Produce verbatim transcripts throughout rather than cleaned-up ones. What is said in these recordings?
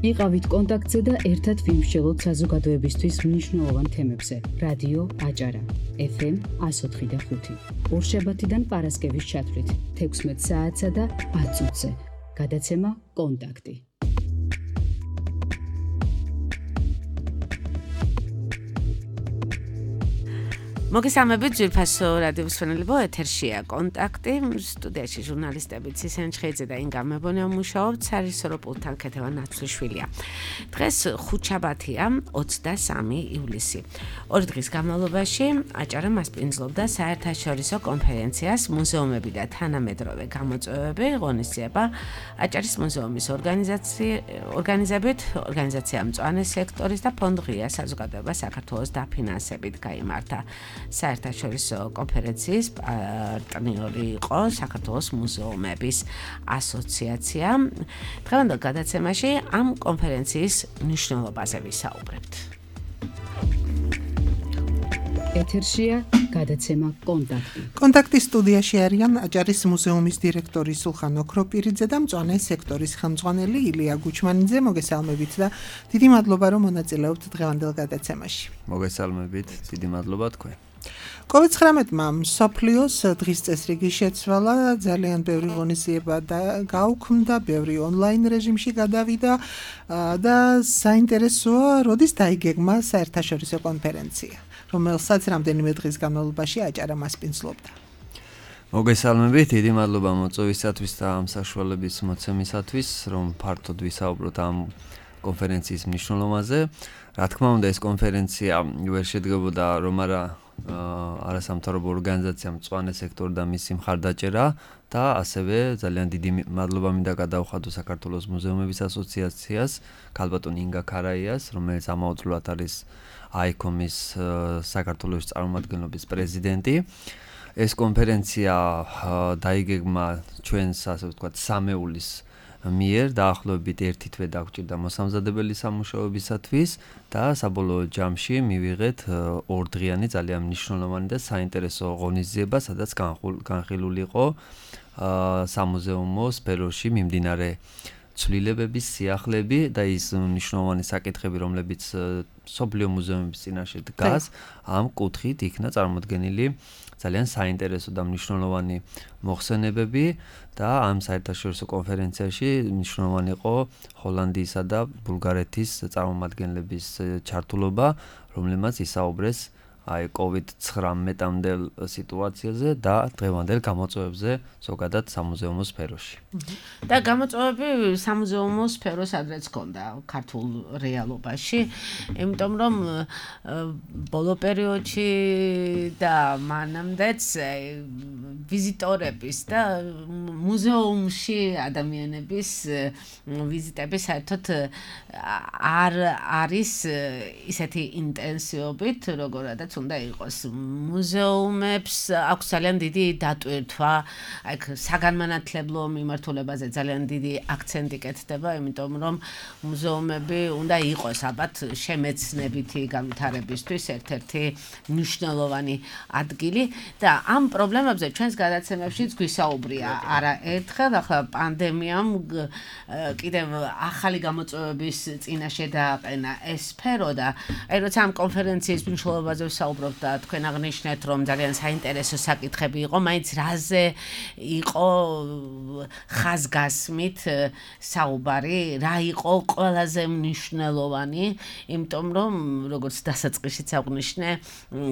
იყავით კონტაქტზე და ერთად ვიმსჯელოთ საზოგადოებისთვის მნიშვნელოვან თემებზე. რადიო აჭარა, ეფ ემ εκατო ოთხი და ხუთი. ორშაბათიდან პარასკევის ჩათვლით, თექვსმეტ საათსა და ათ წუთზე. გადაცემა კონტაქტი. მოგესალმებით ძვირფასო რადიო მსმენელებო, ეთერშია კონტაქტი, სტუდიაში ჟურნალისტები ცისენ ჩხეიძე და ინგა მებონია მუშაობთ, სარისორო პულტთან ქეთევან ნაცვლიშვილია. დღეს ხუთშაბათია, ოცდამესამე ივლისი. ორი დღის განმავლობაში აჭარა მასპინძლობდა საერთაშორისო კონფერენციას მუზეუმები და თანამედროვე გამოწვევები, ღონისძიება აჭარის მუზეუმის ორგანიზებით, ორგანიზაცია მწვანე სექტორის და ფონდ ღია საზოგადოება საქართველოს დაფინანსებით გაიმართა. საერთაშორისო კონფერენციის პარტნიორი იყო საქართველოს მუზეუმების ასოციაცია. დღევანდელ გადაცემაში ამ კონფერენციის მნიშვნელობაზე ვისაუბრებთ. ეთერშია გადაცემა კონტაქტი. კონტაქტის სტუდიაში არიან აჭარის მუზეუმის დირექტორი სულხან ოქროპირიძე და მწვანე სექტორის ხელმძღვანელი ილია გუჩმანიძე. მოგესალმებით და დიდი მადლობა რომ მონაწილეობთ დღევანდელ გადაცემაში. მოგესალმებით, დიდი მადლობა თქვენ. კოვიდ ცხრამეტმა მსოფლიოს დღის წესრიგი შეცვალა, ძალიან ბევრი ღონისძიება გაუქმდა, ბევრი ონლაინ რეჟიმში გადავიდა და საინტერესოა, როდის დაიგეგმა საერთაშორისო კონფერენცია, რომელსაც რამდენიმე დღის განმავლობაში აჭარა მასპინძლობდა. მოგესალმებით, დიდი მადლობა მოწვევისათვის და ამ საშუალების მოცემისათვის, რომ ფართოდ ვისაუბროთ ამ კონფერენციის მნიშვნელობაზე. რა თქმა უნდა, ეს კონფერენცია ვერ შედგებოდა რომ არა არასამთავრობო ორგანიზაცია მწვანე სექტორი და მისი მხარდაჭერა და ასევე ძალიან დიდი მადლობა მინდა გადავხადო საქართველოს მუზეუმების ასოციაციას, ქალბატონ ინგა ქარაიას, რომელიც ამავდროულად არის აიქომის საქართველოს წარმომადგენლობის პრეზიდენტი. ეს კონფერენცია დაიგეგმა ჩვენს, ასე ვთქვათ, სამეულის მიერ დაახლოებით ერთი თვე დაგჭირდა მოსამზადებელი სამუშაოებისათვის და საბოლოო ჯამში მივიღეთ ორდღიანი ძალიან მნიშვნელოვანი და საინტერესო ღონისძიება, სადაც განხილული იყო სამუზეუმო სფეროში მიმდინარე ცვლილებების სიახლეები და ის მნიშვნელოვანი საკითხები, რომლებიც მსოფლიო მუზეუმების წინაშე დგას, ამ კუთხით იქნა წარმოდგენილი ძალიან საინტერესო და მნიშვნელოვანი მოხსენებები და ამ საერთაშორისო კონფერენციაში მნიშვნელოვანი იყო ჰოლანდიისა და ბულგარეთის წარმომადგენლების ჩართულობა, რომლებმაც ისაუბრეს აი კოვიდ ცხრამეტამდელ სიტუაციაზე და დღევანდელ გამოწვევებზე ზოგადად სამუზეუმო სფეროში. და გამოწვევები სამუზეუმო სფეროსაც ჰქონდა ქართულ რეალობაში, იმიტომ რომ ბოლო პერიოდში და მანამდეც ვიზიტორების და მუზეუმში ადამიანების ვიზიტები საერთოდ არ არის ისეთი ინტენსივობით, როგორადაც უნდა იყოს. მუზეუმებს აქვს ძალიან დიდი დატვირთვა, აქ საგანმანათლებლო მიმართულებაზე ძალიან დიდი აქცენტი კეთდება, იმიტომ რომ მუზეუმები უნდა იყოს ალბათ შემეცნებითი განვითარებისთვის ერთ-ერთი მნიშვნელოვანი ადგილი და ამ პრობლემებზე ჩვენს გადაცემებშიც გვისაუბრია არაერთხელ. ახლა პანდემიამ კიდევ ახალი გამოწვევების წინაშე დააყენა ეს სფერო და აი როცა ამ კონფერენციის მნიშვნელობაზე ვსაუბრობთ და თქვენ აღნიშნეთ, რომ ძალიან საინტერესო საკითხები იყო, მაინც რაზე იყო ხაზგასმით საუბარი, რა იყო ყველაზე მნიშვნელოვანი, იმიტომ რომ როგორც დასაწყისშიც აღნიშნე,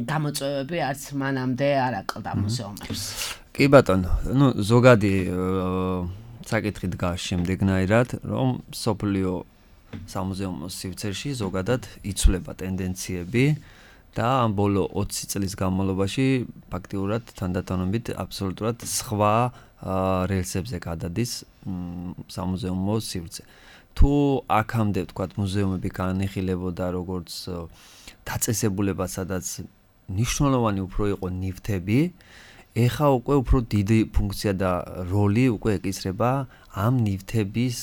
გამოწვევები არც მანამდე არ აკლდა მუზეუმებს. კი ბატონო, ну ზოგადი საკითხი დგას შემდეგნაირად, რომ მსოფლიო სამუზეუმო სივრცეში ზოგადად იცვლება ტენდენციები და ამ ბოლო ოცი წლის განმავლობაში ფაქტიურად თანდათანობით აბსოლუტურად სხვა რელსებზე გადადის სამუზეუმო სივრცე. თუ აქამდე ვთქვათ მუზეუმები განიხილებოდა როგორც დაწესებულება, სადაც მნიშვნელოვანი უფრო იყო ნივთები, ეხა უკვე უფრო დიდი ფუნქცია და როლი უკვე ეკისრება ამ ნივთების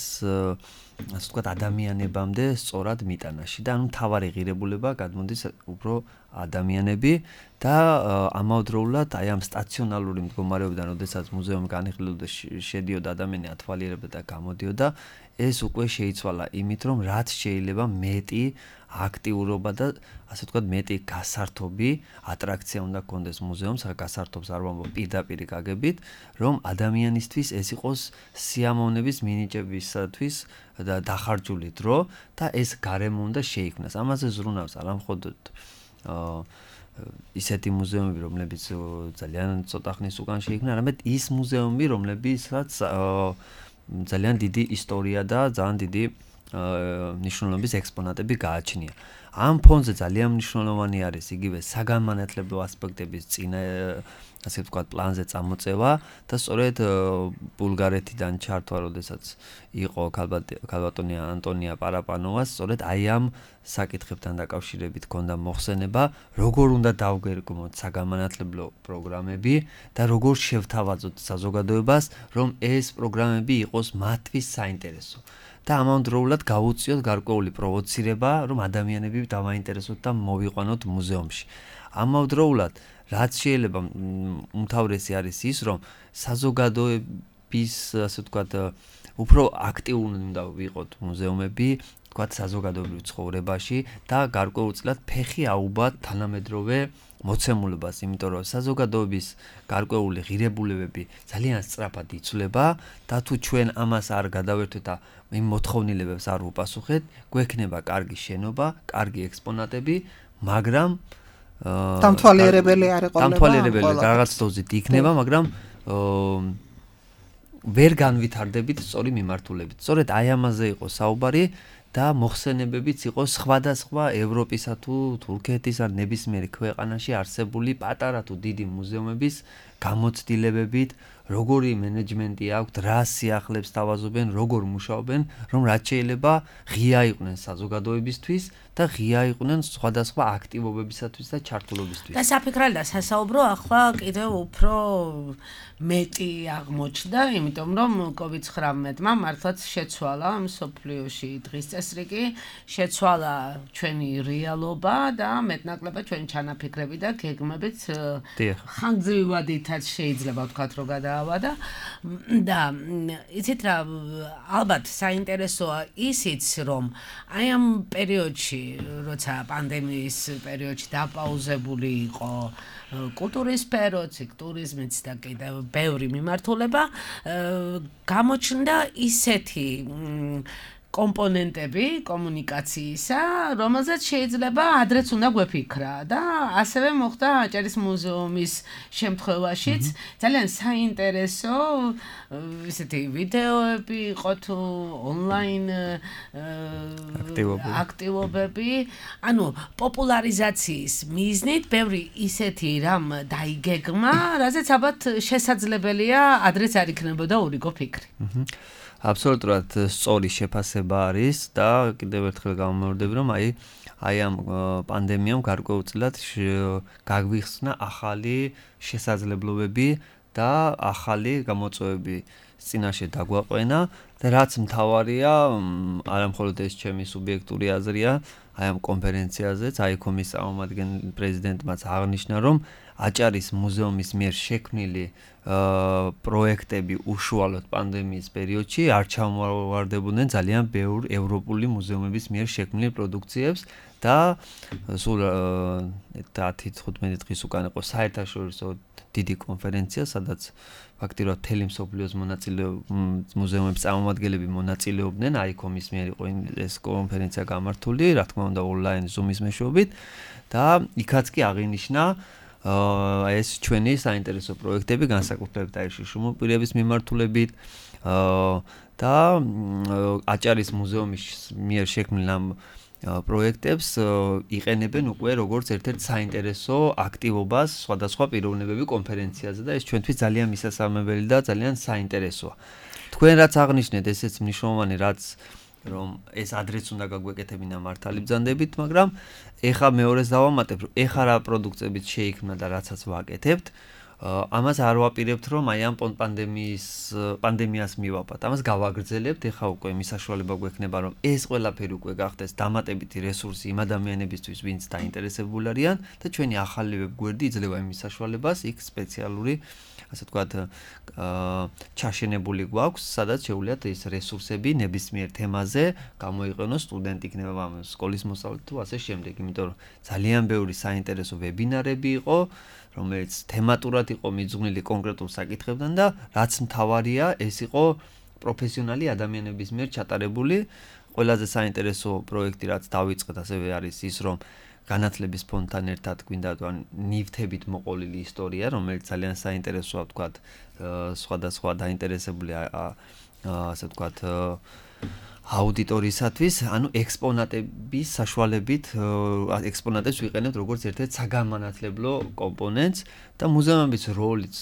ასე ვთქვათ ადამიანებამდე სწორად მიტანაში და ანუ მთავარი ღირებულება გადმოდის უფრო ადამიანები და ამავდროულად აი ამ სტაციონალური მდგომარეობიდან, როდესაც მუზეუმი განიხილებოდა, შედიოდა ადამიანი, ათვალიერებდა და გამოდიოდა, ეს უკვე შეიცვალა იმით, რომ რაც შეიძლება მეტი აქტიურობა და ასე ვთქვათ მეტი გასართობი ატრაქცია უნდა გქონდეს მუზეუმს, გასართობს არ ვამბობ პირდაპირ გაგებით, რომ ადამიანისთვის ეს იყოს სიამოვნების მინიჭებისათვის და დახარჯული დრო და ეს გარემო უნდა შეიქმნას. ამაზე ზრუნავს არა მხოლოდ ისეთი მუზეუმები, რომლებიც ძალიან ცოტა ხნის უკან შეიქმნა, არამედ ის მუზეუმები, რომლებიცაც ძალიან დიდი ისტორია და ძალიან დიდი ნიშნულობის ექსპონატები გააჩნია. ამ ფონზე ძალიან მნიშვნელოვანი არის იგივე საგანმანათლებლო ასპექტების წინა ასე ვთქვათ პლანზე წამოწევა და სწორედ ბულგარეთიდან ჩართვა, როდესაც იყო ქალბატონი ანტონია პარაპანოვას, სწორედ აი ამ საკითხებთან დაკავშირებით ჰქონდა მოხსენება, როგორ უნდა დავგეგმოთ საგანმანათლებლო პროგრამები და როგორ შევთავაზოთ საზოგადოებას, რომ ეს პროგრამები იყოს მათთვის საინტერესო. და ამავდროულად გაუწიოთ გარკვეული პროვოცირება, რომ ადამიანები დავაინტერესოთ და მოვიყვანოთ მუზეუმში. ამავდროულად, რაც შეიძლება უმთავრესი არის ის, რომ საზოგადოების, ასე ვთქვათ, უფრო აქტიური უნდა ვიყოთ მუზეუმები, ვთქვათ, საზოგადოებრივ ცხოვრებაში და გარკვეულწილად ფეხი აუბათ თანამედროვე მოცემულობას, იმიტომ რომ საზოგადოების გარკვეული ღირებულებები ძალიან სწრაფად იცვლება და თუ ჩვენ ამას არ გადავერთვით და იმ მოთხოვნილებებს არ ვუპასუხეთ, გვექნება კარგი შენობა, კარგი ექსპონატები, მაგრამ დამთვალიერებელი არ იყო. დამთვალიერებელი რაღაც დოზით იქნება, მაგრამ ვერ განვითარდებით სწორი მიმართულებით. სწორედ აი ამაზე იყო საუბარი და მოხსენებებიც იყო სხვადასხვა ევროპისა თუ თურქეთის ან ნებისმიერი ქვეყანაში არსებული პატარა თუ დიდი მუზეუმების გამოცდილებებით, როგორი მენეჯმენტი აქვთ, რა სიახლებს თავაზობენ, როგორ მუშაობენ, რომ რაც შეიძლება ღია იყვნენ საზოგადოებისთვის და ღია იყვნენ სხვადასხვა აქტივობებისათვის და ჩართულობისთვის. და საფიქრალი და სასაუბრო ახლა კიდევ უფრო მეტი აღმოჩნდა, იმიტომ რომ კოვიდ ცხრამეტმა მართლაც შეცვალა მსოფლიოში დღის წესრიგი, შეცვალა ჩვენი რეალობა და მეტნაკლებად ჩვენი ჩანაფიქრები და გეგმებიც ხანგრძლივადითაც შეიძლება ვთქვათ, რომ გადაავადა და იცით რა, ალბათ საინტერესოა ისიც, რომ აი ამ პერიოდში, როცა პანდემიის პერიოდში დაპაუზებული იყო კულტურის სფეროც, ტურიზმიც და კიდევ ბევრი მიმართულება, გამოჩნდა ისეთი კომპონენტები კომუნიკაციისა, რომელზეც შეიძლება ადრეც უნდა გვეფიქრა და ასევე მოხდა აჭარის მუზეუმის შემთხვევაშიც ძალიან საინტერესო ისეთი ვიდეოები იყო თუ ონლაინ აქტივობები, ანუ პოპულარიზაციის მიზნით ბევრი ისეთი რამ დაიგეგმა, რაზეც ალბათ შესაძლებელია ადრეც არ იქნებოდა ურიგო ფიქრი. აბსოლუტურად სწორი შეფასება არის და კიდევ ერთხელ გამომევდები, რომ აი აი ამ პანდემიამ გარკვეულწილად გაგვიხსნა ახალი შესაძლებლობები და ახალი გამოწვევები წინაშე დაგვაყვენა და რაც მთავარია, არა მხოლოდ ეს ჩემი სუბიექტური აზრია, აი ამ კონფერენციაზეც აიქომის წარმომადგენელი პრეზიდენტმაც აღნიშნა, რომ აჭარის მუზეუმის მიერ შექმნილი პროექტები უშუალოდ პანდემიის პერიოდში არ ჩამოვარდებოდნენ ძალიან ბევრ ევროპული მუზეუმების მიერ შექმნილ პროდუქციებს და სულ დათი თხუთმეტი დღის უკან იყო საერთაშორისო დიდი კონფერენცია, სადაც ფაქტიურად მთელი მსოფლიოს მუზეუმების წარმომადგენლები მონაწილეობდნენ, აიქომის მიერ იყო ეს კონფერენცია გამართული, რა თქმა უნდა ონლაინ ზუმის მეშვეობით და იქაც კი აღინიშნა ეს ჩვენი საინტერესო პროექტები, განსაკუთრებით აი შრომო პირების მიმართულებით და აჭარის მუზეუმის მიერ შექმნილ ამ პროექტებს იყენებენ უკვე როგორც ერთ-ერთ საინტერესო აქტივობას სხვადასხვა პიროვნებები კონფერენციაზე და ეს ჩვენთვის ძალიან მისასალმებელი და ძალიან საინტერესოა. თქვენ რაც აღნიშნეთ, ესეც მნიშვნელოვანი, რაც რომ ეს ადრეც უნდა გაგვეკეთებინა მართალი ბრძანდებით, მაგრამ ეხა მეორეს დავამატებ, რომ ეხა რა პროდუქციებიც შეიქმნა და რაცაც ვაკეთებთ, ამას არ ვაპირებთ, რომ აი ამ პანდემიის პანდემიას მივაბათ. ამას გავაგრძელებთ, ეხა უკვე იმის საშუალება გვექნება, რომ ეს ყველაფერი უკვე გახდეს დამატებითი რესურსი იმ ადამიანებისთვის, ვინც დაინტერესებული არიან და ჩვენი ახალი ვებგვერდი იძლევა იმის საშუალებას იქ სპეციალური ასე ვთქვათ, ჩაშენებული გვაქვს, სადაც შეუძლიათ ეს რესურსები ნებისმიერ თემაზე გამოიყენოს სტუდენტი იქნება სკოლის მოსწავლე თუ ასე შემდეგ, იმიტომ რომ ძალიან ბევრი საინტერესო ვებინარები იყო, რომელიც თემატურად იყო მიძღვნილი კონკრეტულ საკითხებთან და რაც მთავარია, ეს იყო პროფესიონალი ადამიანების მიერ ჩატარებული. ყველაზე საინტერესო პროექტი, რაც დავიწყეთ, ასევე არის ის, რომ განათლების ფონდთან ერთად გვინდა ნივთებით მოყოლილი ისტორია, რომელიც ძალიან საინტერესოა, ვთქვათ, სხვადასხვა დაინტერესებული ასე ვთქვათ აუდიტორიისათვის, ანუ ექსპონატების საშუალებით ექსპონატებს ვიყენებთ როგორც ერთ-ერთ საგანმანათლებლო კომპონენტს და მუზეუმების როლიც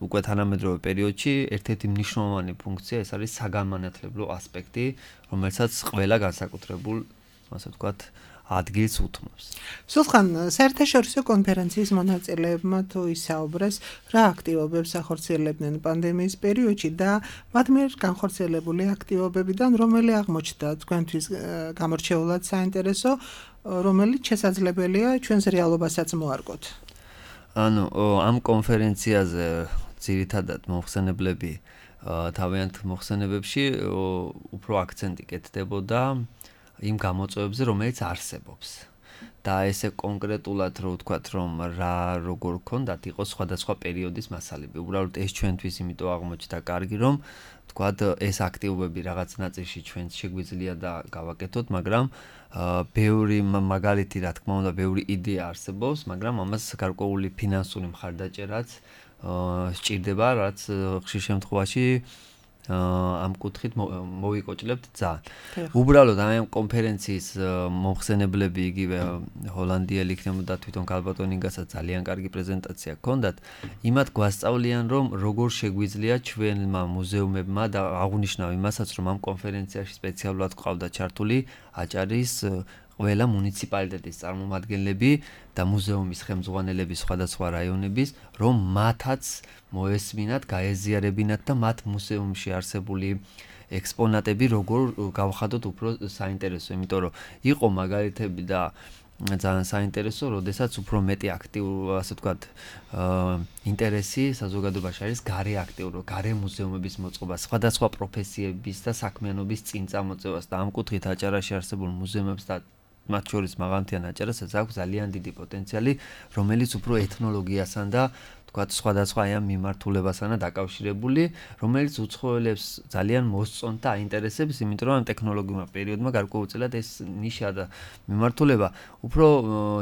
უკვე თანამედროვე პერიოდში ერთ-ერთი მნიშვნელოვანი ფუნქცია ეს არის საგანმანათლებლო ასპექტი, რომელსაც ყველა განსაკუთრებულ, ასე ვთქვათ, ადგილს უთმობს. სულხან, საერთაშორისო კონფერენციის მონაწილეებმა თუ ისაუბრეს, რა აქტივობებს ახორციელებდნენ პანდემიის პერიოდში და მათ მიერ განხორციელებული აქტივობებიდან რომელი აღმოჩნდა თქვენთვის გამორჩეულად საინტერესო, რომელიც შესაძლებელია ჩვენს რეალობასაც მოარგოთ. ანუ ამ კონფერენციაზე ძირითადად მოხსენებლები თავიანთ მოხსენებებში უფრო აქცენტი კეთდებოდა იმ გამოწვევებზე, რომელიც არსებობს. და ესე კონკრეტულად რო ვთქვათ, რომ რა როგორ ქონდათ, იყო სხვადასხვა პერიოდის მასალები. უბრალოდ ეს ჩვენთვის იმიტომ აღმოჩნდა კარგი, რომ ვთქვათ, ეს აქტივობები რაღაც ნაწილში ჩვენც შეგვიძლია და გავაკეთოთ, მაგრამ ბევრი მაგალითი, რა თქმა უნდა, ბევრი იდეა არსებობს, მაგრამ ამას გარკვეული ფინანსური მხარდაჭერაც სჭირდება, რაც ხშირ შემთხვევაში ამ კუთხით მოვიკოჭლებთ ძალიან. უბრალოდ ამ კონფერენციის მომხსენებლები იგივე ჰოლანდიელი იქნებოდა თვითონ გალბატონინგასაც ძალიან კარგი პრეზენტაცია ჰქონდათ. იმათ გვასწავლიან, რომ როგორ შეგვიძლია ჩვენმა მუზეუმებმა და აღნიშნავ იმასაც, რომ ამ კონფერენციაში სპეციალურად ყავდა ჩართული აჭარის ყველა მუნიციპალიტეტის წარმომადგენლები და მუზეუმის ხელმძღვანელები სხვადასხვა რაიონების, რომ მათაც მოესმინათ, გაეზიარებინათ და მათ მუზეუმში არსებული ექსპონატები როგორ გავხადოთ უფრო საინტერესო, იმიტომ რომ იყო მაგალითები და ძალიან საინტერესო, როდესაც უფრო მეტი აქტიურ, ასე ვთქვათ, ინტერესი საზოგადოებაში არის გარე აქტიურ, გარე მუზეუმების მოწყობა, სხვადასხვა პროფესიების და საქმიანობის წინ წამოწევას და ამ კუთხით აჭარაში არსებულ მუზეუმებს და მათ შორის მაღალმთიან აჭარასაც აქვს ძალიან დიდი პოტენციალი, რომელიც უფრო ეთნოლოგიასთან და თქვათ სხვადასხვა ამ მიმართულებასთან დაკავშირებული, რომელიც უცხოელებს ძალიან მოსწონთ და აინტერესებს, იმიტომ რომ ამ ტექნოლოგიურმა პერიოდმა გარკვეულწილად ეს ნიშა და მიმართულება უფრო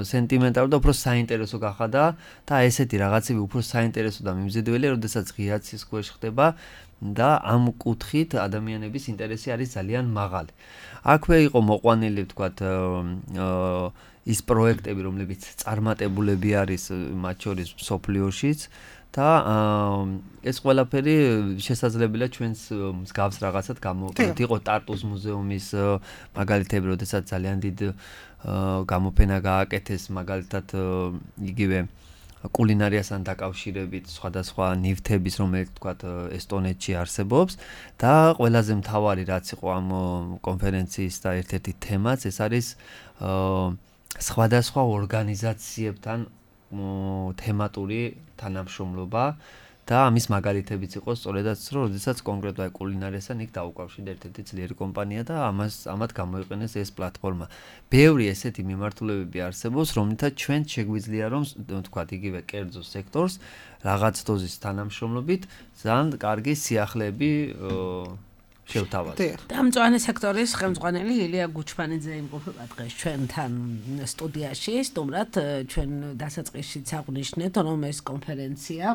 სენტიმენტალური და უფრო საინტერესო გახადა და ესეთი რაღაცები უფრო საინტერესო და მიმზიდველია, როდესაც ღიაცის ქვეშ ხდება და ამ კუთხით ადამიანების ინტერესი არის ძალიან მაღალი. აქვე იყო მოყვანილი, ვთქვათ, ის პროექტები, რომლებიც წარმატებულები არის მათ შორის მსოფლიოშიც და ეს ყველაფერი შესაძლებელია ჩვენს მსგავს რაღაცად გამოვიყენოთ. იყო ტარტუს მუზეუმის მაგალითები, როდესაც ძალიან დიდ გამოფენა გააკეთეს, მაგალითად იგივე კულინარიასთან დაკავშირებით სხვადასხვა ნივთების, რომელიც თქვათ ესტონეთში არსებობს და ყველაზე მთავარი რაც იყო ამ კონფერენციის და ერთ-ერთი თემაც ეს არის სხვადასხვა ორგანიზაციებთან თემატური თანამშრომლობა და ამის მაგალითებიც იყო სწორედაც რომ როდესაც კონკრეტულად კულინარიასთან იქ დაუკავშირდა ერთ-ერთი ძლიერი კომპანია და ამას ამათ გამოიყენეს ეს პლატფორმა. ბევრი ესეთი მიმართულებები არსებობს, რომლითაც ჩვენ შეგვიძლია რომ თქვათ იგივე კერძო სექტორს რაღაც დოზის თანამშრომლობით ძალიან კარგი სიახლეები შევთავაზოთ. და მწვანე სექტორის ხელმძღვანელი ილია გუჩმანიძე იმყოფება დღეს ჩვენთან სტუდიაში, სტუმრად ჩვენ დასაწყისშიც აღვნიშნეთ, რომ ეს კონფერენცია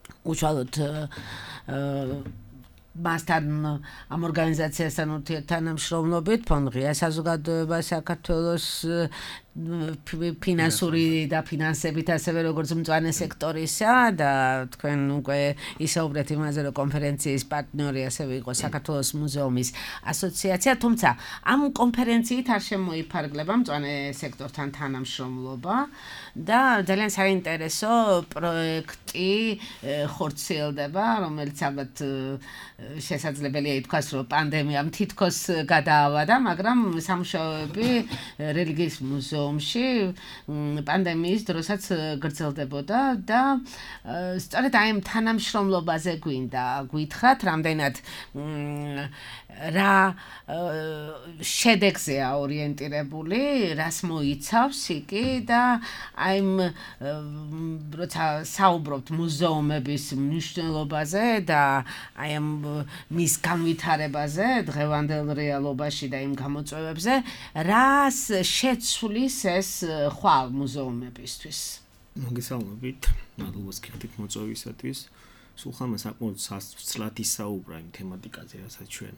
უშუალოდ მასთან ამ ორგანიზაციასთან ურთიერთთანამშრომლობით ფონდ ღია საზოგადოება საქართველოს ფინანსური და ფინანსებით ასევე როგორც მწვანე სექტორისა და თქვენ უკვე ისაუბრეთ იმაზე, რომ კონფერენციის პარტნიორი ასევე იყო საქართველოს მუზეუმის ასოციაცია, თუმცა ამ კონფერენციით არ შემოიფარგლება მწვანე სექტორთან თანამშრომლობა და ძალიან საინტერესო პროექტი ხორციელდება, რომელიც ალბათ შესაძლებელია ითქვას, რომ პანდემიამ თითქოს გადაავადა, მაგრამ სამუშაოები რელიგიის მუზეუმის მუზეუმში პანდემიის დროსაც გრძელდებოდა და სწორედ აი ამ თანამშრომლობაზე გვინდა გვითხრათ, რამდენად რა შედეგზეა ორიენტირებული, რას მოიცავს იგი და აი როცა საუბრობთ მუზეუმების მნიშვნელობაზე და აი ამ მის განვითარებაზე დღევანდელ რეალობაში და იმ გამოწვევებზე, რას შეცვლის ეს ხვალ მუზეუმებისთვის? მოგესალმებით, მადლობას გიხდით მოწვევისათვის. სულ ხანმა საკმაოდ სასწრაფად ისაუბრა იმ თემატიკაზე, რასაც ჩვენ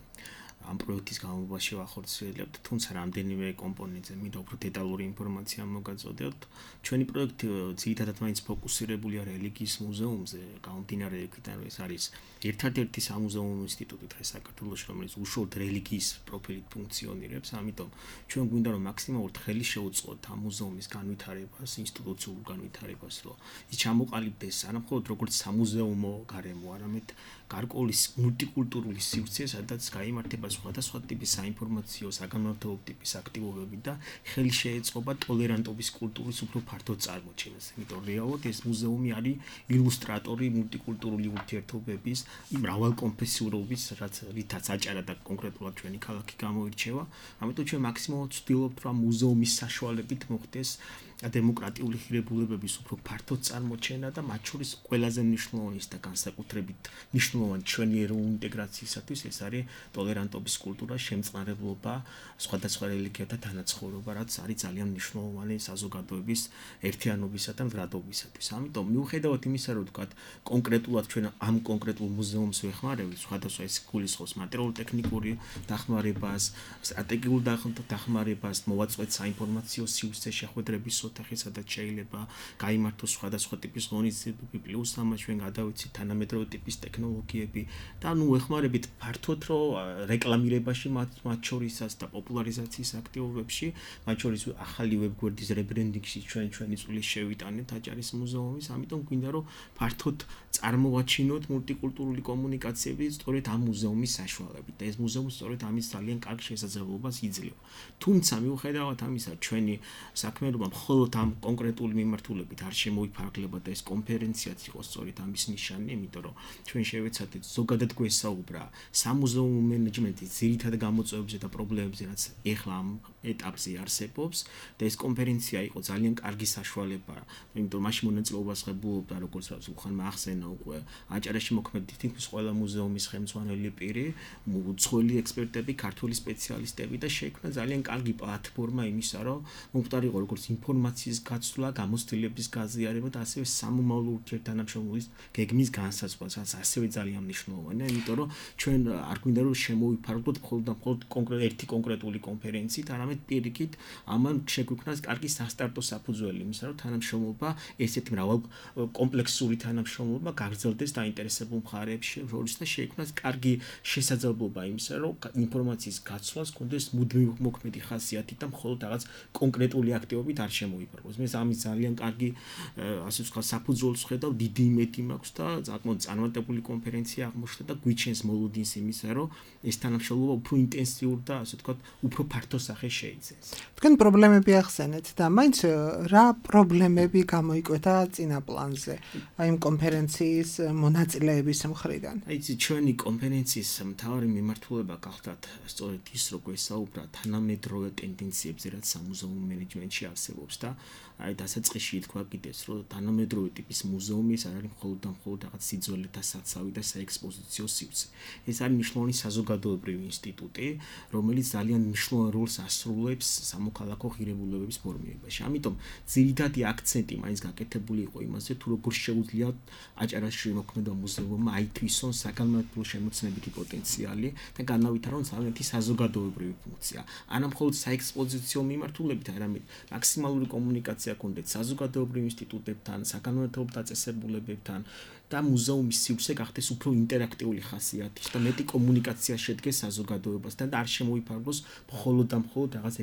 ამ პროექტის განმავლობაში ვახორციელებთ, თუმცა რამდენიმე კომპონენტზე მინდა უფრო დეტალური ინფორმაცია მოგაწოდოთ. ჩვენი პროექტი ძირითადად მაინც ფოკუსირებულია რელიგიის მუზეუმზე, გამომდინარე იქიდან, რომ ეს არის ერთადერთი სამუზეუმო ინსტიტუტი დღეს საქართველოში, რომელიც უშუალოდ რელიგიის პროფილით ფუნქციონირებს, ამიტომ ჩვენ გვინდა რომ მაქსიმალურად ხელი შეუწყოთ ამ მუზეუმის განვითარებას, ინსტიტუციურ განვითარებას, რომ ის ჩამოყალიბდეს არა მხოლოდ როგორც სამუზეუმო გარემო, არამედ გარკვეული მულტიკულტურული სივრცე, სადაც გაიმართება სხვადასხვა ტიპის საინფორმაციო, საგანმანათლებლო ტიპის აქტივობები და ხელი შეეწყობა ტოლერანტობის კულტურის უფრო ფართო წარმოჩენას. იმიტომ რეალურად ეს მუზეუმი არის ილუსტრატორი მულტიკულტურული ურთიერთობების, იმ მრავალკონფესიურობის, რაც რითაც აჭარა და კონკრეტულად ჩვენი ქალაქი გამოირჩევა. ამიტომ ჩვენ მაქსიმალურად ვცდილობთ, რომ მუზეუმის საშუალებით მოხდეს დემოკრატიული ღირებულებების უფრო ფართო წარმოჩენა და მათ შორის ყველაზე მნიშვნელოვანი და განსაკუთრებით მნიშვნელოვანი ჩვენი ეროვნული ინტეგრაციისათვის ეს არის ტოლერანტობის კულტურა, შემწყნარებლობა, სხვადასხვა რელიგიათა თანაცხოვრობა, რაც არის ძალიან მნიშვნელოვანი საზოგადოების ერთიანობისა და მდგრადობისათვის. ამიტომ მიუხედავად იმისა, რომ ვთქვათ, კონკრეტულად ჩვენ ამ კონკრეტულ მუზეუმს ვეხმარებით, სხვადასხვა ეს გულისხმობს მატერიალურ-ტექნიკური დახმარებას, სტრატეგიულ დახმარებას, მოვაწყვეთ საინფორმაციო სივრცე შეხვედრების ოთახი, სადაც შეიძლება გაიმართოს სხვადასხვა ტიპის ღონისძიებები, პლუს ამას ჩვენ გადავიცით თანამედროვე ტიპის ტექნოლოგიები და ნუ ეხმარებით ფართოდ რომ რეკლამირებაში მათ შორისაც და პოპულარიზაციის აქტივობებში, მათ შორის ახალი ვებგვერდის რებრენდინგში ჩვენ ჩვენი წვლის შევიტანეთ აჭარის მუზეუმის, ამიტომ გვინდა რომ ფართოდ წარმოვაჩინოთ მულტიკულტურული კომუნიკაციები სწორედ ამ მუზეუმის საშუალებით და ეს მუზეუმი სწორედ ამის ძალიან კარგ შესაძლებლობას იძლევა. თუმცა მიუხედავად ამისა, ჩვენი საქმიანობა მხოლოდ ამ კონკრეტული მიმართულებით არ შემოიფარგლება და ეს კონფერენციაც იყო სწორედ ამის ნიშანი, იმიტომ რომ ჩვენ შევეცადეთ ზოგადად გვესაუბრა სამუზეუმო მენეჯმენტის ძირითად გამოწვევებზე და პრობლემებზე, რაც ეხლა ამ ეტაპზე არსებობს და ეს კონფერენცია იყო ძალიან კარგი საშუალება, იმიტომ მაშინ მონაწილეობას ღებულობდა, როგორც უხანმა ახსენა უკვე აჭარაში მოქმედი თითქმის ყველა მუზეუმის ხელმძღვანელი პირი, უცხოელი ექსპერტები, ქართული სპეციალისტები და შეიქმნა ძალიან კარგი პლატფორმა იმისა, რომ მომხდარიყო როგორც ინფორმაციის გაცვლა, გამოცდილების გაზიარება და ასევე სამომავლო ურთიერთთანამშრომლობის გეგმის განსაზღვრა, რაც ასევე ძალიან მნიშვნელოვანია, იმიტომ რომ ჩვენ არ გვინდა რომ შემოვიფარგლოთ მხოლოდ და მხოლოდ კონკრეტ ერთი კონკრეტული კონფერენციით, არამედ პირიქით ამან შეგვიქმნას კარგი სასტარტო საფუძველი იმისა, რომ თანამშრომლობა, ესეთი მრავალ კომპლექსური თანამშრომლობა გაგრძელდეს დაინტერესებულ მხარეებში შორის და შეიქმნას კარგი შესაძლებლობა იმისა, რომ ინფორმაციის გაცვლას კონდეს მუდმივი მოქმედი ხასიათი და მხოლოდ რაღაც კონკრეტული აქტივობით არ შემოიფარგლოს. მე ამის ძალიან კარგი ასე ვთქვათ საფუძველს ხედავ, დიდი იმედი მაქვს და საკმაოდ წარმატებული კონფერენცია აღმოჩნდა და გვიჩენს მოლოდინს იმისა, რომ ეს თანამშრომლობა უფრო ინტენსიური და ასე ვთქვათ უფრო ფართო სახე შეიძენს. თქვენ პრობლემები ახსენეთ და მაინც რა პრობლემები გამოიკვეთა წინა პლანზე აი ამ კონფერენციის მონაწილეების მხრიდან? აი ეს ჩვენი კონფერენციის მთავარი მიმართულება გახლდათ სწორედ ის, რომ გვესაუბრა თანამედროვე ტენდენციებზე, რაც სამუზეუმო მენეჯმენტში არსებობს და აი დასაწყისში ითქვა კიდეც, რომ თანამედროვე ტიპის მუზეუმი ეს არ არის მხოლოდ და მხოლოდ რაღაც სიძველეთა საცავი და საექსპოზიციო სივრცე. ეს არის მნიშვნელოვანი საზოგადოებრივი ინსტიტუტი, რომელიც ძალიან მნიშვნელოვან როლს ასრულებს სამოქალაქო ღირებულებების ფორმირებაში. ამიტომ ძირითადი აქცენტი მაინც გაკეთებული იყო იმაზე, თუ როგორ შეუძლია აჭარაში მოქმედება მუზეუმმა აითვისონ საგანმანათლებლო შემოცნებითი პოტენციალი და განავითარონ ძალიანთი საზოგადოებრივი ფუნქცია. არა მხოლოდ საექსპოზიციო მიმართულებით, არამედ მაქსიმალური კომუნიკაცია კონდეთ საზოგადოებრივ ინსტიტუტებთან, საგანმანათლებლო დაწესებულებებთან და მუზეუმის სივრცე გახდეს უფრო ინტერაქტიული ხასიათის და მეტი კომუნიკაცია შედგეს საზოგადოებასთან და არ შემოიფარგლოს მხოლოდ და მხოლოდ რაღაც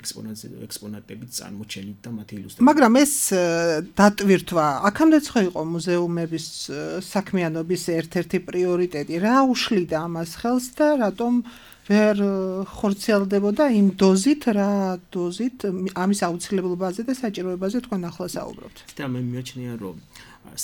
ექსპონატებით წარმოჩენით და მათი ილუსტრაციით. მაგრამ ეს დატვირთვა აქამდეც ხო იყო მუზეუმების საქმიანობის ერთ-ერთი პრიორიტეტი. რა უშლიდა ამას ხელს და რატომ ვერ ხორციელდებოდა იმ დოზით, რა დოზით ამის აუცილებლობაზე და საჭიროებაზე თქვენ ახლა საუბრობთ. და მე მიაჩნია, რომ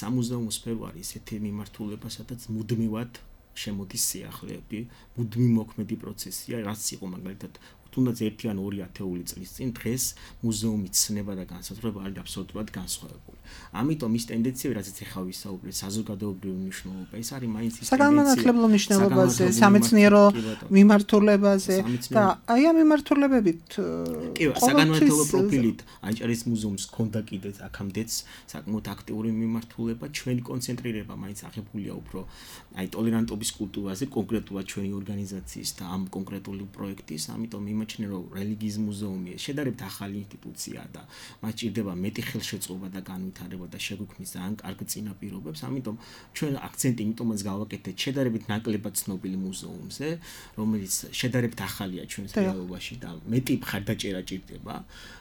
სამუზეუმო სფერო არის ესეთი მიმართულება, სადაც მუდმივად შემოდის სიახლეები, მუდმივ მოქმედი პროცესია, რაც იყო მაგალითად თუნდაც ერთი ან ორი ათეული წლის წინ, დღეს მუზეუმის ცნება და განსაზღვრება არის აბსოლუტურად განსხვავებული. ამიტომ ის ტენდენციები, რაც ეხლა ვისაუბრეთ, საზოგადოებრივი მნიშვნელობა, ეს არის მაინც ის საგანმანათლებლო მნიშვნელობაზე, სამეცნიერო მიმართულებაზე და აი ამ მიმართულებებით კი, საგანმანათლებლო პროფილით აჭარის მუზეუმს ჰქონდა კიდეც აქამდეც საკმაოდ აქტიური მიმართულება, ჩვენი კონცენტრირება მაინც აღებულია უფრო აი ტოლერანტობის კულტურაზე, კონკრეტულად ჩვენი ორგანიზაციის და ამ კონკრეტული პროექტის, ამიტომ იმაჩნია, რომ რელიგიის მუზეუმი შედარებით ახალი ინსტიტუცია და მას ჭირდება მეტი ხელშეწყობა და განვითარება და შეგვიქმნის ძალიან კარგ წინაპირობებს, ამიტომ ჩვენ აქცენტი იმიტომაც გავაკეთეთ შედარებით ნაკლებად ცნობილი მუზეუმზე, რომელიც შედარებით ახალია ჩვენს რეალობაში და მეტი მხარდაჭერა ჭირდება.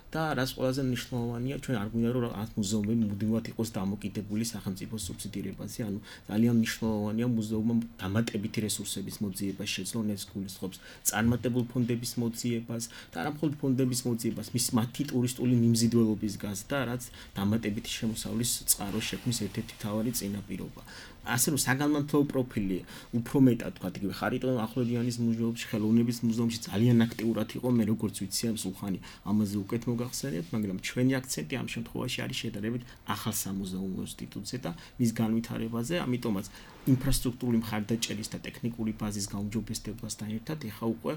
და რაც ყველაზე მნიშვნელოვანია, ჩვენ არ გვინდა რომ ამ მუზეუმები მუდმივად იყოს დამოკიდებული სახელმწიფოს სუბსიდირებაზე, ანუ ძალიან მნიშვნელოვანია მუზეუმმა დამატებითი რესურსების მოძიებას შეძლო, ეს გულისხმობს წარმატებულ ფონდების მოძიებას და არა მხოლოდ ფონდების მოძიებას, მის მათი ტურისტული მიმზიდველობის გაზრდა, რაც დამატებითი შემოსავლის წყაროს შექმნის ერთ-ერთი მთავარი წინაპირობა. ასე რომ საგანმანათლებლო პროფილი უფრო მეტად თქვა, იგივე ხარიტონ ახვლედიანის მუზეუმში, ხელოვნების მუზეუმში ძალიან აქტიურად იყო, მე როგორც ვიცი ამ სულხანი ამაზე უკეთ მოგახსენებთ, მაგრამ ჩვენი აქცენტი ამ შემთხვევაში არის შედარებით ახალ სამუზეუმო ინსტიტუტზე და მის განვითარებაზე, ამიტომაც ინფრასტრუქტურული მხარდაჭერის და ტექნიკური ბაზის გაუმჯობესებასთან ერთად ეხა უკვე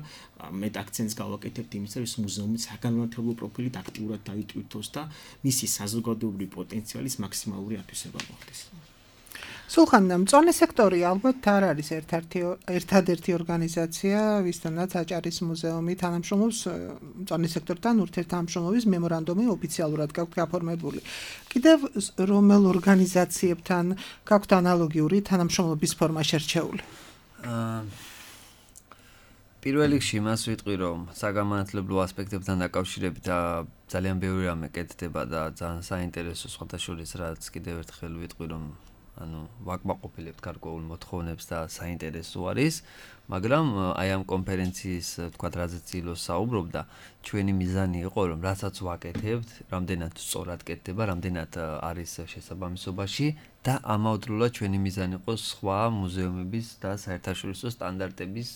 მეტ აქცენტს გავაკეთებთ იმის, რომ ეს მუზეუმი საგანმანათლებლო პროფილით აქტიურად დაიტვირთოს და მისი საზოგადოებრივი პოტენციალის მაქსიმალური ათვისება მოხდეს. სულხან, მწვანე სექტორი ალბათ არ არის ერთ-ერთი ერთადერთი ორგანიზაცია, ვისთანაც აჭარის მუზეუმი თანამშრომლობს მწვანე სექტორთან ურთიერთთანამშრომლობის მემორანდუმი ოფიციალურად გაქვთ გაფორმებული. კიდევ რომელ ორგანიზაციებთან გაქვთ ანალოგიური თანამშრომლობის ფორმა შერჩეული? პირველ რიგში იმას ვიტყვი, რომ საგანმანათლებლო ასპექტებთან დაკავშირებით ძალიან ბევრი რამე კეთდება და ძალიან საინტერესო სხვათა შორის რაც კიდევ ერთხელ ვიტყვი, რომ ანუ ვაკმაყოფილებთ გარკვეულ მოთხოვნებს და საინტერესო არის, მაგრამ აი ამ კონფერენციის თქვა რაზეც ილოს საუბრობდა, ჩვენი მიზანი იყო, რომ რასაც ვაკეთებთ, რამდენად სწორად კეთდება, რამდენად არის შესაბამისობაში და ამავდროულად ჩვენი მიზანი იყო სხვა მუზეუმების და საერთაშორისო სტანდარტების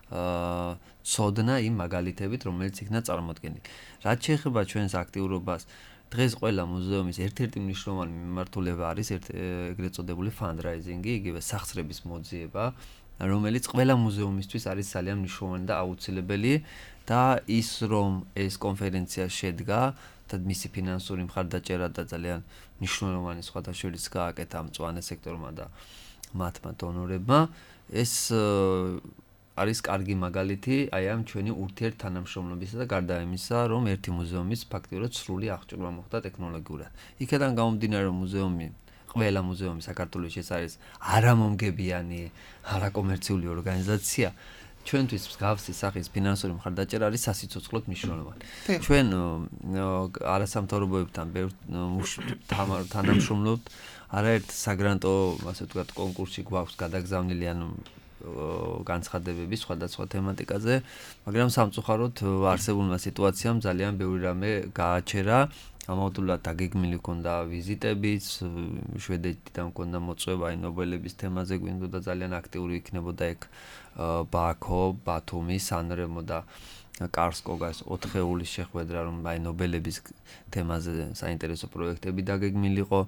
აა ცოდნა იმ მაგალითებით, რომელიც იქნა წარმოდგენილი. რაც შეეხება ჩვენს აქტიურობას, დღეს ყველა მუზეუმის ერთ-ერთი მნიშვნელოვანი მიმართულება არის ეგრეთ წოდებული fundraising-ი, იგივე სახსრების მოძიება, რომელიც ყველა მუზეუმისთვის არის ძალიან მნიშვნელოვანი და აუცილებელი და ის რომ ეს კონფერენცია შედგა და მისი ფინანსური მხარდაჭერა და ძალიან მნიშვნელოვანი სხვათა შორის გააკეთა მწვანე სექტორმა და მათმა დონორებმა, ეს არის კარგი მაგალითი აი ამ ჩვენი ურთიერთთანამშრომლობისა და გარდა იმისა, რომ ერთი მუზეუმის ფაქტიურად სრული აღჭურვა მოხდა ტექნოლოგიურად. იქედან გამომდინარე, რომ მუზეუმი, ყველა მუზეუმი საქართველოში ეს არის არამომგებიანი, არაკომერციული ორგანიზაცია, ჩვენთვის მსგავსი სახის ფინანსური მხარდაჭერა არის სასიცოცხლოდ მნიშვნელოვანი. ჩვენ არასამთავრობოებთან ბევრ თანამშრომლობთ, არაერთ საგრანტო, ასე ვთქვათ, კონკურსში გვაქვს გადაგზავნილი, ანუ განცხადებები სხვადასხვა თემატიკაზე, მაგრამ სამწუხაროდ არსებულმა სიტუაციამ ძალიან ბევრი რამე გააჩერა. ამავდროულად დაგეგმილი ჰქონდა ვიზიტებიც, შვედეთიდან ჰქონდა მოწვევა აი ნობელების თემაზე, გვინდოდა ძალიან აქტიური იქნებოდა ეგ ბაქო, ბათუმი, სანრემო და კარსკოგას ოთხეულის შეხვედრა, რომ აი ნობელების თემაზე საინტერესო პროექტები დაგეგმილიყო.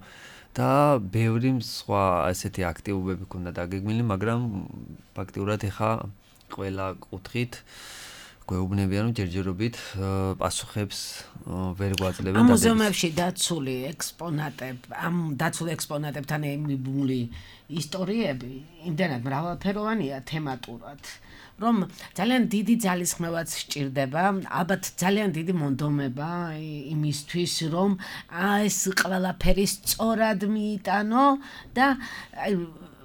და ბევრი სხვა ასეთი აქტივობები ქონდა დაგეგმილი, მაგრამ ფაქტიურად ეხა ყველა კუთხით გვეუბნებიან, რომ ჯერჯერობით პასუხებს ვერ გვაძლევენ. ამ მუზეუმებში დაცული ექსპონატები, ამ დაცულ ექსპონატებთან ემიბული ისტორიები იმდენად მრავალფეროვანია თემატურად, რომ ძალიან დიდი ძალისხმევაც სჭირდება, ალბათ ძალიან დიდი მონდომება იმისთვის, რომ ეს ყველაფერი სწორად მიიტანო და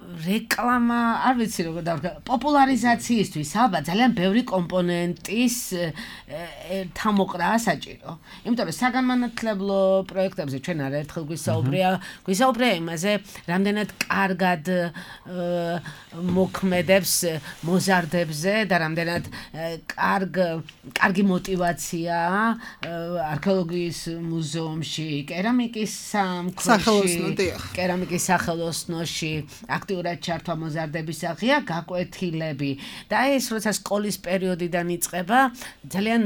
რეკლამა, არ ვიცი როგორ დავდგა, პოპულარიზაციისთვის ალბათ ძალიან ბევრი კომპონენტის თამოყრაა საჭირო. იმიტომ რომ საგანმანათლებლო პროექტებზე ჩვენ არაერთხელ გვისაუბრია, გვისაუბრია იმაზე, რამდენად კარგად მოქმედებს მოზარდებზე და რამდენად კარგ კარგი мотиваციაა არქეოლოგიის მუზეუმში, კერამიკის სამქმეში, კერამიკის სახელოსნოში აქტიურად ჩართვა მოზარდების აღია გაკვეთილები და ეს როცა სკოლის პერიოდიდან იწყება ძალიან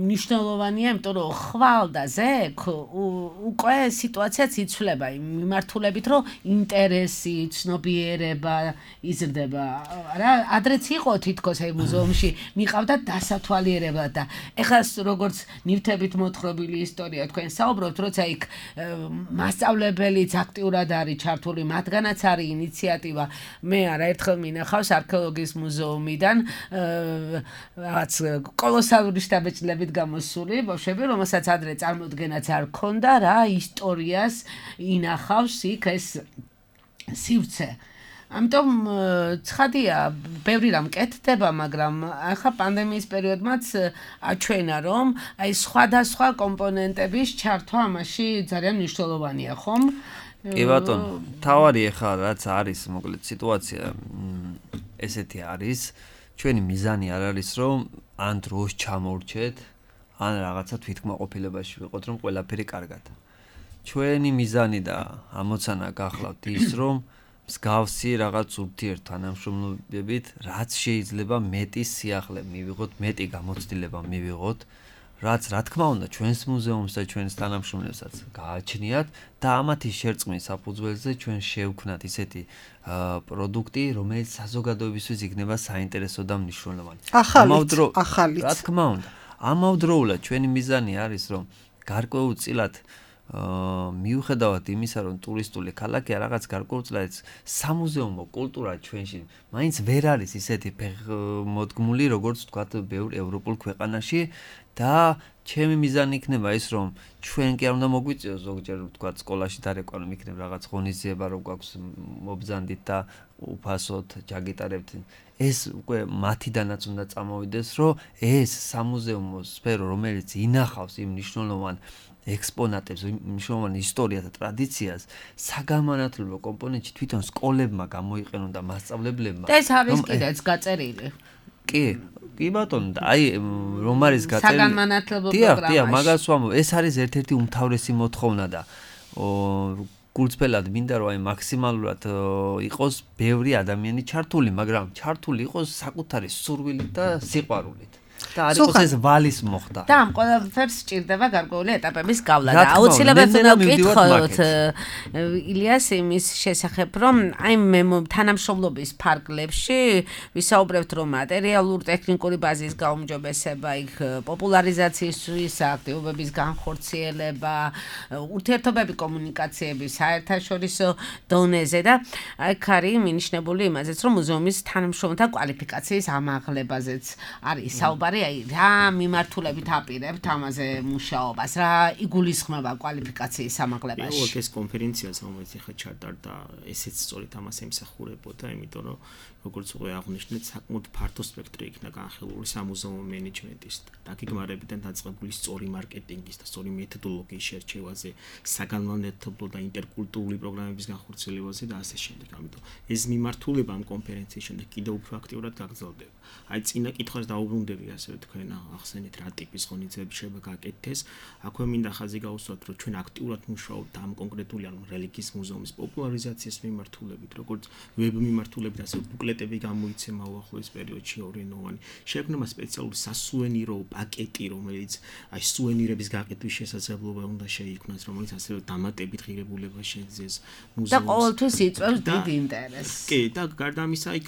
მნიშვნელოვანია, იმიტომ რომ ხვალ და ზექ უკვე სიტუაციაც იცვლება იმ მიმართულებით, რომ ინტერესი, ცნობიერება იზრდება. რა, ადრეც იყო თითქოს აი მუზეუმში მიყავდა დასათვალიერებლად და ეხლა როგორც ნივთებით მოთხრობილი ისტორია თქვენ საუბრობთ, როცა იქ მასწავლებელიც აქტიურად არის ჩართული, მათგანაც არის ინიციატივა. მე არაერთხელ მინახავს არქეოლოგიის მუზეუმიდან რაღაც კოლოსალური შთაბეჭდილებით გამოსული ბავშვები, რომელსაც ადრე წარმოდგენაც არ ქონდა რა ისტორიას ინახავს იქ ეს სივრცე. ამიტომ ცხადია, ბევრი რამ კეთდება, მაგრამ ახლა პანდემიის პერიოდმაც აჩვენა, რომ აი სხვადასხვა კომპონენტების ჩართვა ამაში ძალიან მნიშვნელოვანია, ხომ? კი ბატონო, თავარი ახლა რაც არის, მოკლედ სიტუაცია ესეთი არის, ჩვენი მიზანი არ არის, რომ ან დროს ჩამოვრჩეთ, ან რაღაცა თვითკმაყოფილებაში ვიყოთ, რომ ყველაფერი კარგად. ჩვენი მიზანი და ამოცანა გახლავთ ის, რომ მსგავსი რაღაც ურთიერთთანამშრომლობებით, რაც შეიძლება მეტი სიახლე მივიღოთ, მეტი გამოცდილება მივიღოთ, რაც რა თქმა უნდა ჩვენს მუზეუმს და ჩვენს თანამშრომლებსაც გააჩნიათ და ამათი შერწყმის საფუძველზე ჩვენ შევქმნათ ისეთი პროდუქტი, რომელიც საზოგადოებისთვის იქნება საინტერესო და მნიშვნელოვანი. ახალიც, რა თქმა უნდა, ამავდროულად ჩვენი მიზანი არის, რომ გარკვეულწილად მიუხედავად იმისა, რომ ტურისტული ქალაქია, რაღაც გარკვეულწილად სამუზეუმო კულტურა ჩვენში მაინც ვერ არის ისეთი მოდგმული, როგორც თქვათ, ბევრ ევროპულ ქვეყანაში და ჩემი მიზანი იქნება ის, რომ ჩვენ კი არ უნდა მოგვიწიოს ზოგჯერ თქვათ სკოლაში დარეკვა, რომ იქნება რაღაც ღონისძიება, რომ გვაქვს მობრძანდით და უფასოდ ჯაგიტარებთ. ეს უკვე მათიდანაც უნდა წამოვიდეს, რომ ეს სამუზეუმო სფერო, რომელიც ინახავს იმ მნიშვნელოვან ექსპონატებს, მნიშვნელოვან ისტორიას და ტრადიციას, საგანმანათლებლო კომპონენტში თვითონ სკოლებმა გამოიყენონ და მასწავლებლებმა. და ეს არის კიდეც გაწერილი. კი, კი ბატონო, აი რომ არის გაწერილი. საგანმანათლებლო პროგრამაში. დიახ, მაგას ვამბობ, ეს არის ერთ-ერთი უმთავრესი მოთხოვნა და გულწრფელად მინდა რომ აი მაქსიმალურად იყოს ბევრი ადამიანი ჩართული, მაგრამ ჩართული იყოს საკუთარი სურვილით და სიყვარულით. და არ იყოს ეს ვალის მოხდა. და ამ ყველაფერს სჭირდება გარკვეული ეტაპების გავლა და აუცილებლად უნდა ვკითხოთ ილიას იმის შესახებ, რომ აი მე თანამშრომლობის ფარგლებში ვისაუბრებთ, რომ მატერიალურ ტექნიკური ბაზის გაუმჯობესება, იქ პოპულარიზაციის აქტივობების განხორციელება, ურთიერთობები კომუნიკაციების საერთაშორისო დონეზე და აქ არის მინიშნებული იმაზეც, რომ მუზეუმის თანამშრომელთა კვალიფიკაციის ამაღლებაზეც არის საუბარი. აი რა მიმართულებით აპირებთ ამაზე მუშაობას, რა იგულისხმება კვალიფიკაციის ამაღლებაში? ოღონდ ეს კონფერენციაც რომელიც ახლა ჩატარდა, ესეც სწორედ ამას ემსახურებოდა, იმიტომ რომ როგორც უკვე აღნიშნეთ, საკმაოდ ფართო სპექტრი იქნა განხილული სამუზეუმო მენეჯმენტის და დაგეგმარებიდან დაწყებული სწორი მარკეტინგის და სწორი მეთოდოლოგიის შერჩევაზე, საგანმანათლებლო და ინტერკულტურული პროგრამების განხორციელებაზე და ასე შემდეგ. ამიტომ ეს მიმართულება ამ კონფერენციის შემდეგ კიდევ უფრო აქტიურად გაგრძელდება. აი წინა კითხვას დაუბრუნდები, ასე თქვენ ახსენეთ რა ტიპის ღონისძიებები შეიძლება გაკეთდეს. აქვე მინდა ხაზი გაუსვათ, რომ ჩვენ აქტიურად მუშაობთ ამ კონკრეტული ანუ რელიგიის მუზეუმის პოპულარიზაციის მიმართულებით, როგორც ვებ მიმართულებით, ასე ბუკლეტები გამოიცემა უახლოეს პერიოდში ორენოვანი. შექმნება სპეციალური სასუენირო პაკეტი, რომელიც აი სუენირების გაკეთვის შესაძლებლობა უნდა შეიქმნას, რომელიც ასევე დამატებით ღირებულება შეეძეს მუზეუმს. და ყოველთვის იწვევს დიდ ინტერესს. კი, და გარდა ამისა, აი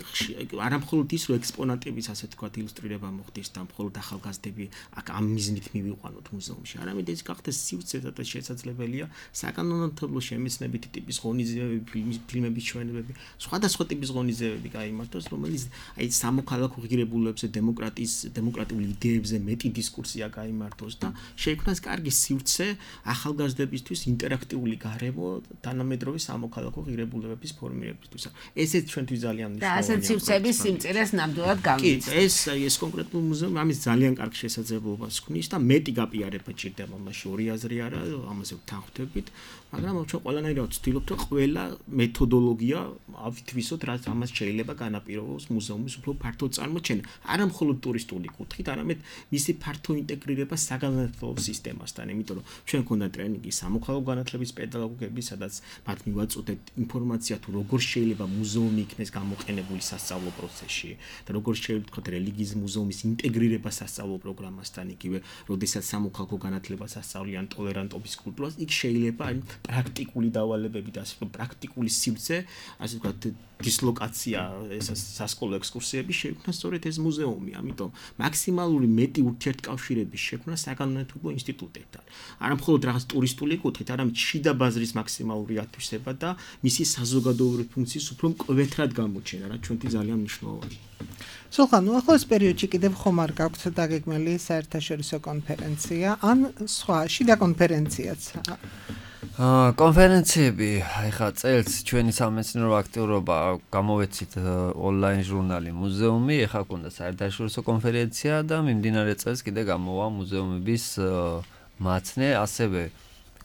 არამხოლოდ ის, რომ ექსპონატების ასე თქვა ილუსტრირება მოხდეს და მხოლოდ ახალგაზრდები აქ ამ მიზნით მივიყვანოთ მუზეუმში. არამედ ეს გახდეს სივრცეთა და შესაძლებელია საკანონმდებლო შემეცნებითი ტიპის ღონისძიებები, ფილმების ჩვენებები, სხვადასხვა ტიპის ღონისძიებები გაიმართოს, რომელიც აი სამოქალაქო ღირებულებებზე, დემოკრატიის, დემოკრატიული იდეებზე მეტი დისკურსია გაიმართოს და შეიქმნას კარგი სივრცე ახალგაზრდებისთვის ინტერაქტიული გარემო თანამედროვე სამოქალაქო ღირებულებების ფორმირებისთვის. ესეც ჩვენთვის ძალიან მნიშვნელოვანია. და ასეთ სივრცეების სიმწირეს ნამდვილად გამიცდის. ეს ეს კონკრეტულ მუზეუმი ამის ძალიან კარგ შესაძლებლობას ქმნის და მეტი გაპიარება ჭირდება მასში ორი აზრი არა ამაზე ვთანხმდებით, მაგრამ ჩვენ ყველანაირად ვცდილობთ რომ ყველა მეთოდოლოგია ავითვისოთ, რაც ამას შეიძლება განაპირობოს მუზეუმის უფრო ფართო წარმოჩენა, არა მხოლოდ ტურისტული კუთხით, არამედ მისი ფართო ინტეგრირება საგანმანათლებლო სისტემასთან, იმიტომ რომ ჩვენ გქონდა ტრენინგი სამოქალაქო განათლების პედაგოგები, სადაც მათ მივაწოდეთ ინფორმაცია თუ როგორ შეიძლება მუზეუმი იქნეს გამოყენებული სასწავლო პროცესში და როგორ შეიძლება თქვა რელიგიის მუზეუმის ინტეგრირება სასწავლო პროგრამასთან, იგივე როდესაც სამოქალაქო განათლებას ასწავლიან ტოლერანტობის კულტურას, იქ შეიძლება პრაქტიკული დავალებები და ასე ვთქვათ პრაქტიკული სივრცე, ასე ვთქვათ დისლოკაცია, ეს სასკოლო ექსკურსიები შეიქმნა სწორედ ეს მუზეუმი, ამიტომ მაქსიმალური მეტი ურთიერთკავშირების შექმნა საგანმანათლებლო ინსტიტუტებთან. არა მხოლოდ რაღაც ტურისტული კუთხით, არამედ შიდა ბაზრის მაქსიმალური ათვისება და მისი საზოგადოებრივი ფუნქციის უფრო მკვეთრად გამოჩენა, რაც ჩვენთვის ძალიან მნიშვნელოვანია. სულხან, ნუ ახლოს პერიოდში კიდევ ხომ არ გაქვთ დაგეგმილი საერთაშორისო კონფერენცია, ან სხვა შიდა კონფერენციაც? აა კონფერენციები, ეხლა წელს ჩვენი სამეცნიერო აქტიურობა გამოვეცით ონლაინ ჟურნალი მუზეუმი, ეხლა გქონდა საერთაშორისო კონფერენცია და მიმდინარე წელს კიდე გამოვა მუზეუმების მაცნე, ასევე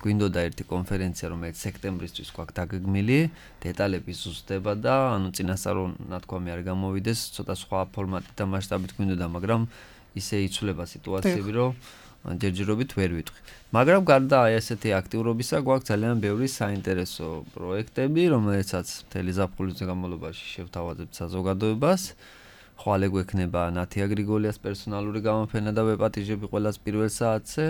გვინდოდა ერთი კონფერენცია, რომელიც სექტემბრისთვის გვაქვს დაგეგმილი, დეტალები ზუსტდება და ანუ წინასწარ ნათქვამი არ გამოვიდეს, ცოტა სხვა ფორმატით და მასშტაბით გვინდოდა, მაგრამ ისე იცვლება სიტუაციები, რომ ჯერჯერობით ვერ ვიტყვი. მაგრამ გარდა აი ესეთი აქტიურობისა, გვაქვს ძალიან ბევრი საინტერესო პროექტები, რომელიცაც მთელი ზაფხულის განმავლობაში შევთავაზებთ საზოგადოებას. ხვალე გვექნება ნათია გრიგოლიას პერსონალური გამოფენა და ვეპატიჟები ყველას პირველ საათზე.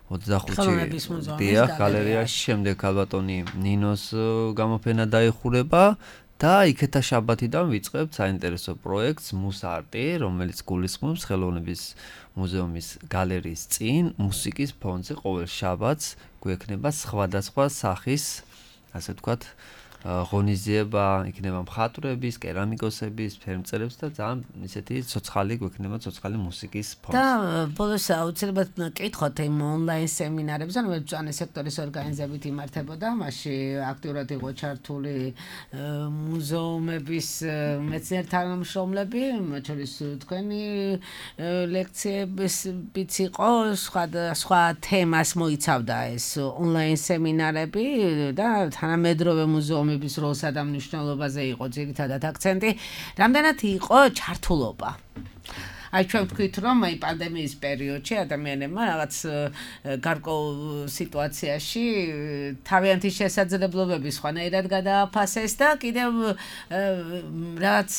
ოცდახუთი დიახ გალერეაში, შემდეგ ალბათონი ნინოს გამოფენა დაიხურება და იქეთა შაბათიდან ვიწყებთ საინტერესო პროექტს მუსარტი, რომელიც გულისხმობს ხელოვნების მუზეუმის გალერეის წინ მუსიკის ფონზე ყოველ შაბათს გვექნება სხვადასხვა სახის, ასე ვთქვათ, ღონისძიება, იქნება მხატვრების, კერამიკოსების, ფერმწერებს და ძალიან ისეთი ცოცხალი გვექნება ცოცხალი მუსიკის ფონზე. და ბოლოს აუცილებლად კითხოთ იმ ონლაინ სემინარებზე, რომელიც მწვანე სექტორის ორგანიზებით იმართებოდა, მასში აქტიურად იყო ჩართული მუზეუმების მეცნიერ თანამშრომლები, მათ შორის თქვენი ლექციებიც იყო, სხვა თემას მოიცავდა ეს ონლაინ სემინარები და თანამედროვე მუზეუმი bis როლსა და მნიშვნელობაზე იყო ძირითადად აქცენტი. რამდენად იყო ჩართულობა? აი ჩვენ ვთქვით რომ აი პანდემიის პერიოდში ადამიანებმა რაღაც გარკვეულ სიტუაციაში თავიანთი შესაძლებლობები სხვანაირად გადააფასეს და კიდევ რაღაც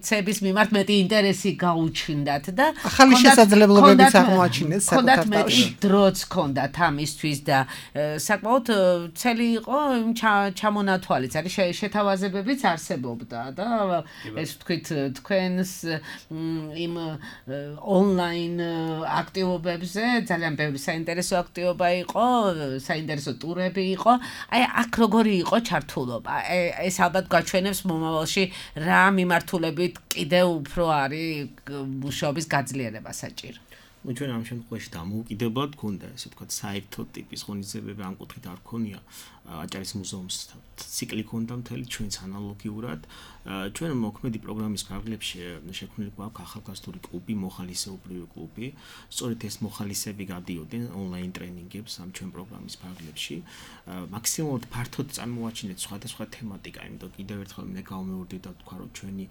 ცების მიმართ მეტი ინტერესი გაუჩნდათ და ახალი შესაძლებლობებიც აღმოაჩინეს საკუთარ თავში. დროც ჰქონდათ ამისთვის და საკმაოდ ცელი იყო იმ ჩამონათვალიც, არის შეთავაზებებიც არსებობდა და ეს ვთქვით თქვენს იმ ონლაინ აქტივობებზე ძალიან ბევრი საინტერესო აქტივობა იყო, საინტერესო ტურები იყო. აი აქ როგორი იყო ჩართულობა? ეს ალბათ გაჩვენებს მომავალში რა მიმართულებით კიდევ უფრო არის მუშაობის გაძლიერება საჭირო. ну ჩვენ ამ შემთხვევაში დამოუკიდებლად გქონდა ესე ვთქვათ საერთო ტიპის ღონისძიებები ამ კუთხით არ ქონია აჭარის მუზეუმს ციკლი ქონდა მთელი ჩვენს ანალოგიურად ჩვენ მოქმედი პროგრამის ფარგლებში შექმნილი გვაქვს ახალგაზრდული კლუბი, მოხალისეობრივი კლუბი. სწორედ ეს მოხალისეები გადიოდნენ ონლაინ ტრენინგებს ამ ჩვენ პროგრამის ფარგლებში. მაქსიმალურად ფართოდ წარმოაჩინეთ სხვადასხვა თემატიკა, იმიტომ კიდევ ერთხელ მე გავმეორდეთ და ვთქვა, რომ ჩვენი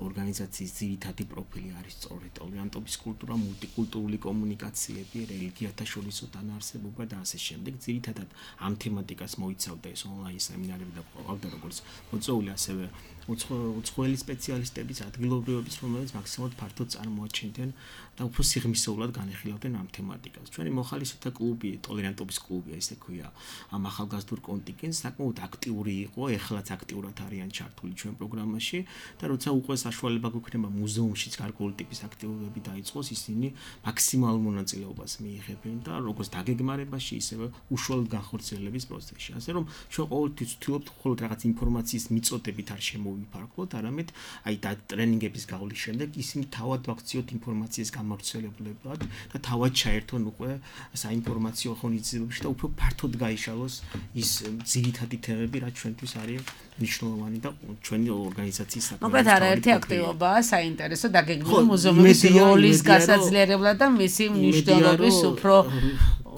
ორგანიზაციის ძირითადი პროფილი არის სწორედ ტოლერანტობის კულტურა, მულტიკულტურული კომუნიკაციები, რელიგიათა შორისო თანაარსებობა და ასე შემდეგ. ძირითადად ამ თემატიკას მოიცავდა ეს ონლაინ სემინარები და ყავდა როგორც მოწვეული ასევე უცხოელი სპეციალისტების ადგილობრივების, რომელიც მაქსიმალურად ფართოდ წარმოაჩენდნენ და უფრო სიღრმისეულად განეხილავდნენ ამ თემატიკას. ჩვენი მოხალისეთა კლუბი, ტოლერანტობის კლუბი, ესე ქვია, ამ ახალგაზრდულ კონტინგენტს საკმაოდ აქტიური იყო, ეხლაც აქტიურად არიან ჩართული ჩვენ პროგრამაში და როცა უკვე საშუალება გვექნება მუზეუმშიც გარკვეული ტიპის აქტივობები დაიწყოს, ისინი მაქსიმალურ მონაწილეობას მიიღებენ და როგორც დაგეგმარებაში, ისევე უშუალოდ განხორციელების პროცესში. ასე რომ ჩვენ ყოველთვის ვთქვით, მხოლოდ რაღაც ინფორმაციის მიწოდებით არ შემოვიფარგლოთ, არამედ აი და ტრენინგების გავლის შემდეგ ისინი თავად ვაქციოთ ინფორმაციის გამავრცელებლებად და თავად ჩაერთონ უკვე საინფორმაციო ღონისძიებებში და უფრო ფართოდ გაიშალოს ის ძირითადი თემები, რაც ჩვენთვის არის მნიშვნელოვანი და ჩვენი ორგანიზაციის საკუთარი. მოკლედ არაერთი აქტივობაა საინტერესო დაგეგმილი მუზეუმის როლის გასაძლიერებლად და მისი მნიშვნელობის უფრო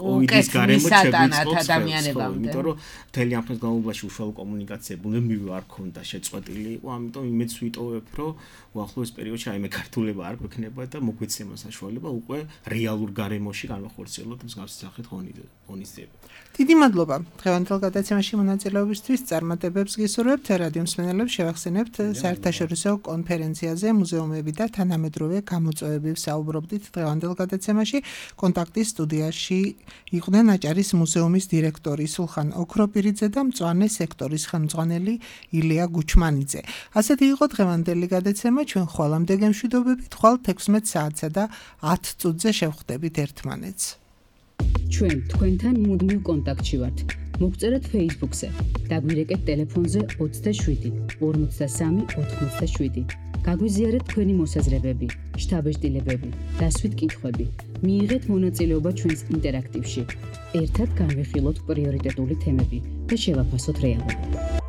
უკეთმისატანად ადამიანებამდე. იმიტომ რომ მთელი ამ ხნის განმავლობაში უშუალო კომუნიკაცია ბუნებრივი არ ქონდა შეწყვეტილი იყო, ამიტომ იმედს ვიტოვებ, რომ უახლოეს პერიოდში აი მე ქართულება არ გვექნება და მოგვეცემა საშუალება უკვე რეალურ გარემოში განვახორციელოთ მსგავსი სახით ღონისძიება. დიდი მადლობა. დღევანდელ გადაცემაში მონაწილეობისთვის წარმატებებს გისურვებთ. რადიო მსმენელებს შევახსენებთ საერთაშორისო კონფერენციაზე მუზეუმები და თანამედროვე გამოწვევები ვსაუბრობდით დღევანდელ გადაცემაში. კონტაქტის სტუდიაში იყვნენ აჭარის მუზეუმის დირექტორი სულხან ოქროპირიძე და მწვანე სექტორის ხელმძღვანელი ილია გუჩმანიძე. ასეთი იყო დღევანდელი გადაცემა. ჩვენ ხვალამდე გემშვიდობებით, ხვალ თექვსმეტ საათსა და ათ წუთზე შევხვდებით ერთმანეთს. ჩვენ თქვენთან მუდმივ კონტაქტში ვართ. მოგწერეთ Facebook-ზე, დაგვირეკეთ ტელეფონზე ოცდაშვიდი ორმოცდასამი ოთხმოცდაშვიდი. გაგვიზიარეთ თქვენი მოსაზრებები, შთაბეჭდილებები, დასვით კითხვები. მიიღეთ მონაწილეობა ჩვენს ინტერაქტივში. ერთად განვიხილოთ პრიორიტეტული თემები და შევაფასოთ რეალობა.